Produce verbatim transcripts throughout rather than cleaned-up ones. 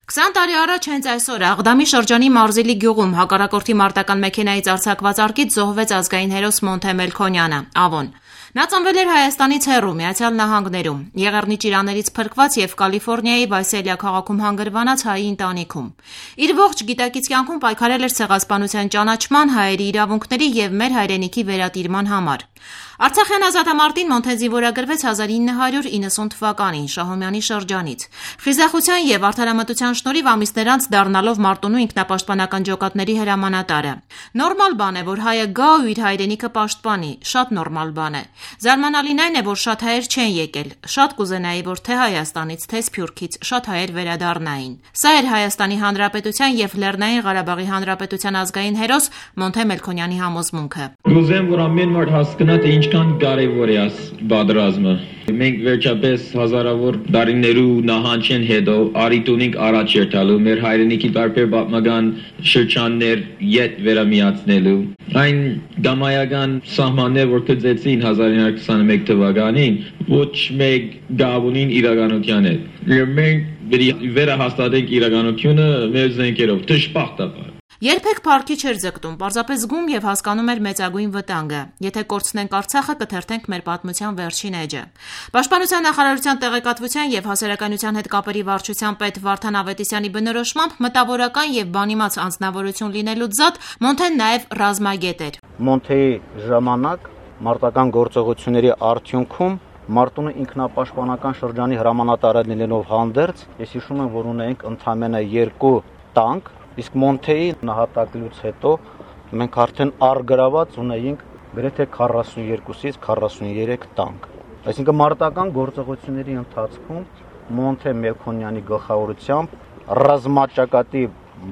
քսան տարի առաջ հենց այսօր Աղդամի շրջանի Մարզիլի գյուղում հակառակորդի մարտական մեքենայից արձակված արկից զոհվեց ազգային հերոս Մոնթե Մելքոնյանը, Ավոն։ Նա ծնվել էր Հայաստանից հեռու, Միացյալ Նահանգներում, Եղեռնի ճիրաներից փրկված եւ Կալիֆոռնիայի Վայսելիա քաղաքում հանգրվանած հայի ընտանիքում։ Իր ողջ գիտակից կյանքում պայքարել էր ցեղասպանության ճանաչման, հայերի իրավունքների եւ մեր հայրենիքի վերատիրման համար։ Արցախյան ազատամարտին Մոնթեն զինվորագրվեց հազար ինը հարյուր իննսուն թվականին Շահումյանի շրջանից։ Խիզախության եւ արդարամտության շնորհիվ ամիսներ անց դառնալով Մարտունու ինքնապաշտպանական ջոկատների հրամանատարը։ Նորմալ բան է, որ հայը գա ու իր հայրենիքը պաշտպանի, շատ նորմալ բան է։ Զարմանալին այն է, որ շատ հայեր չեն եկել, շատ կուզենայի, որ թե Հայաստանից, թե Սփյուռքից շատ հայեր վերադառնային։ Սա էր Հայաստանի Հանրապետության եւ Լեռնային Ղարաբաղի Հանրապետության ազգային հերոս Մոնթե Մելքոնյանի համոզմունքը։ Գուզեմ, որ ամեն մարդ հասկանա, թե ինչքան կարևոր է այս պատերազմը։ Մենք վերջապես հազարավոր տարիներու նահանջեն հետո արիտունիկ առաջ երթալու, մեր հայրենիքի տարբեր պատմական շրջաններ յետ վերամիացնելու։ Այն գամայական սահմաններ, որ կձեցին հազար ինը հարյուր քսաներեք թվականին, ոչ մեկ գավունին իրականության հետ։ Մենք պետք է վերահաստատենք իրականությունը մեր զենքերով, դժբախտաբար։ Երբեք փառքի չէր ձգտում, պարզապես զգում եւ հասկանում էր մեծագույն վտանգը։ Եթե կորցնենք Արցախը, կթերթենք մեր պատմության վերջին էջը։ Պաշտպանության նախարարության տեղեկատվության եւ հասարակայնության հետ կապերի վարչության պետ Վարդան Ավետիսյանի բնորոշմամբ մտավորական եւ բանիմաց անձնավորություն լինելուց զատ Մոնթեն նաեւ ռազմագետ էր։ Մոնթեի ժամանակ մարտական գործողությունների արդյունքում Մարտունու ինքնապաշտպանական շրջանի հրամանատարը լինելով հանդերձ, ես հիշում եմ, որ ունենք ընդամենը երկու տանկ, իսկ Մոնթեի նահատակելուց հետո մենք արդեն առգրաված ունեինք գրեթե քառասունյոթից քառասուներեք տանկ։ Այսինքն մարտական գործողությունների ընթացքում Մոնթե Մելքոնյանի գլխավորությամբ ռազմաճակատի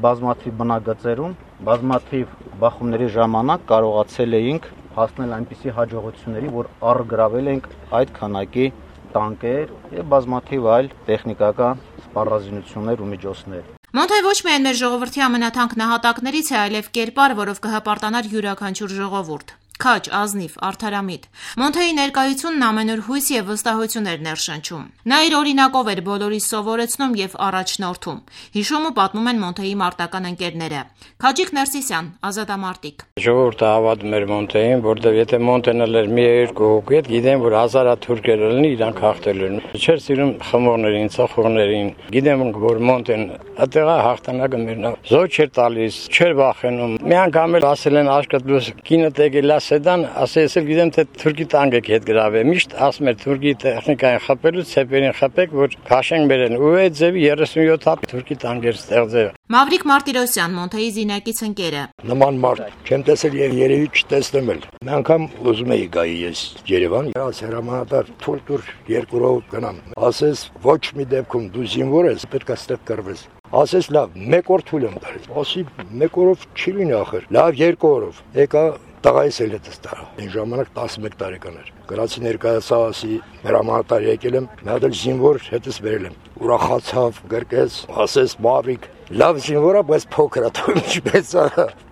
բազմաթիվ բնագծերում, բազմաթիվ բախումների ժամանակ կարողացել էինք հասնել այնպիսի հաջողությունների, որ առգրավել ենք այդ քանակի տանկեր եւ բազմաթիվ այլ տեխնիկական սպառազինություններ ու միջոցներ։ Մոնթե ոչ միայն մեր ժողովրդի ամենաթանկ նահատակներից է, այլև կերպար, որով կհպարտանար յուրաքանչյուր ժողովուրդ։ Քաջ, ազնիվ, արդարամիտ։ Մոնթեի ներկայությունն ամենուր հույս եւ վստահություն էր ներշնչում։ Նա իր օրինակով էր բոլորիս սովորեցնում եւ առաջնորդում։ Հիշում ու պատմում են Մոնթեի մարտական ընկերները։ Քաջիկ Ներսիսյան, ազատամարտիկ։ Ժողովուրդը հավատում էր Մոնթեին, որտեղ եթե Մոնթեն ելեր մի երկու հոգի, գիտեն, որ հազարաթուրքեր լինի, իրանք հաղթելու են։ Չէր սիրում խմորներին, ծխողներին։ Գիտեմ, որ Մոնթեն այդտեղ հաղթանակը մերնա։ Զոհ չէր տալիս, չէր վախենում։ Մի անգամ էլ ասել են աշկատլուս կինը տեկել Սեդան ասես էլ գիտեմ թե թուրքի տանկը հետ գրավե միշտ ասում էր թուրքի տեխնիկային խփելու ցեպերին խփեք որ քաշենք բերեն ու այդ ձևի երեսունյոթ հապ թուրքի տանկեր ստեղծել Մավրիկ Մարտիրոսյան Մոնթեի զինակից ընկերը նման մարդ չեմ տեսել եւ երևի չտեսնեմ էլ մի անգամ ուզում էի գայի ես Երևան ես հրամանատար թուրք երկու ռոու գնամ ասես ոչ մի դեպքում դու զինվոր ես պետք է ստեղ կռվես ասես լավ մեկ օր թույլ եմ տալիս ասի մեկ օրով չի լինի ախր լավ երկու օրով եկա տղայիս էլ հետս տարա այն ժամանակ տասնմեկ տարեկան էր գրացի ներկայացա ասի հրամանատար եկել եմ մի հատ էլ զինվոր հետս վերել եմ ուրախացավ գրկեց ասես Մավրիկ լավ զինվոր է բայց փոքր է թույլ ինչպես է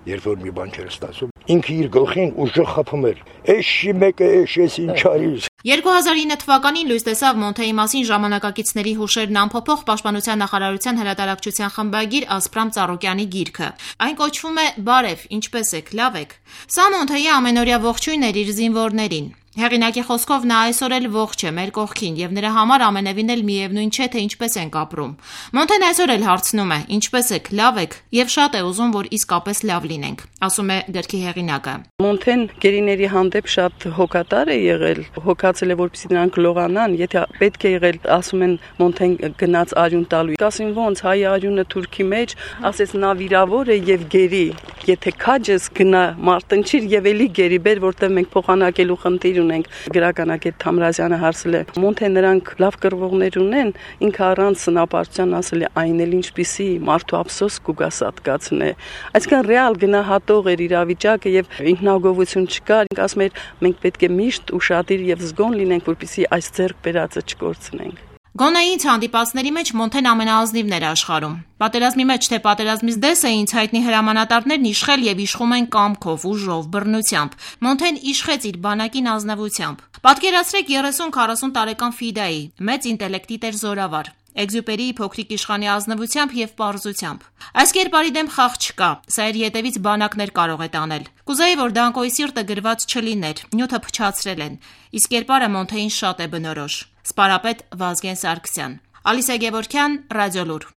երբ որ մի բան չէր ստացում ինքը իր գլխին ուժը խփում էր էշի մեկը էշ էս ինչ արիր երկու հազար ինը թվականին լույս տեսավ Մոնթեի մասին ժամանակակիցների հուշերն ամփոփող Պաշտպանության նախարարության հրատարակչության խմբագիր Ասպրամ Ծառուկյանի գիրքը։ Այն կոչվում է Բարև, ինչպես եք, լավ եք։ Սա Մոնթեի ամենօրյա ողջույնն էր իր զինվորներին։ Հեղինակի խոսքով նա այսօր էլ ողջ է մեր կողքին եւ նրա համար ամենևին էլ միևնույն չէ թե ինչպես ենք ապրում։ Մոնթեն այսօր էլ հարցնում է. ինչպես եք, լավ եք եւ շատ է ուզում որ իսկապես լավ լինենք, ասում է գրքի հեղինակը։ Մոնթեն գերիների հանդեպ շատ հոգատար է եղել, հոգացել է որպեսզի նրանք լողանան, եթե պետք է եղել, ասում են Մոնթեն գնաց արյուն տալու։ Ասին ոնց հայ արյունը թուրքի մեջ, ասես նա վիրավոր է եւ գերի։ Եթե քաջես գնա մարտնչիր եւ էլի գերի բեր, որտեղ մենք փոխանակելու խնդիր ունենք գրականագետ Թամրազյանը հարցել է Մոնթե նրանք լավ կռվողներ ունեն ինքը առանց սնապարտության ասել է այն էլ ինչպիսի մարդու ափսոս կուգասատկացն է այսինքն ռեալ գնահատող էր իրավիճակը եւ ինքնագովություն չկար ասում էր մենք պետք է միշտ ուշադիր եւ զգոն լինենք որպեսզի այս ձեռք բերածը չկորցնենք Գոնե ինձ հանդիպածների մեջ Մոնթեն ամենաազնիվն էր աշխարհում։ Պատերազմի մեջ թե պատերազմից դես է ինձ հայտնի հրամանատարներն իշխել եւ իշխում են կամքով, ուժով, բռնությամբ։ Մոնթեն իշխեց իր բանակին ազնվությամբ։ Պատկերացրեք երեսուն քառասուն տարեկան ֆիդայի, մեծ ինտելեկտի տեր զորավար։ Էքզյուպերիի փոքրիկ իշխանի ազնվությամբ եւ պարզությամբ։ Այս կերպարի դեմ խաղ չկա, սա իր ետևից բանակներ կարող է տանել։ Կուզեի, որ Դանկոյի սիրտը գրված չլիներ, նյութը փչացրել են, իսկ կերպարը Մոնթեին շատ է բնորոշ։ Սպարապետ Վազգեն Սարգսյան, Ալիսա Գևորգյան, Ռադիոլուր։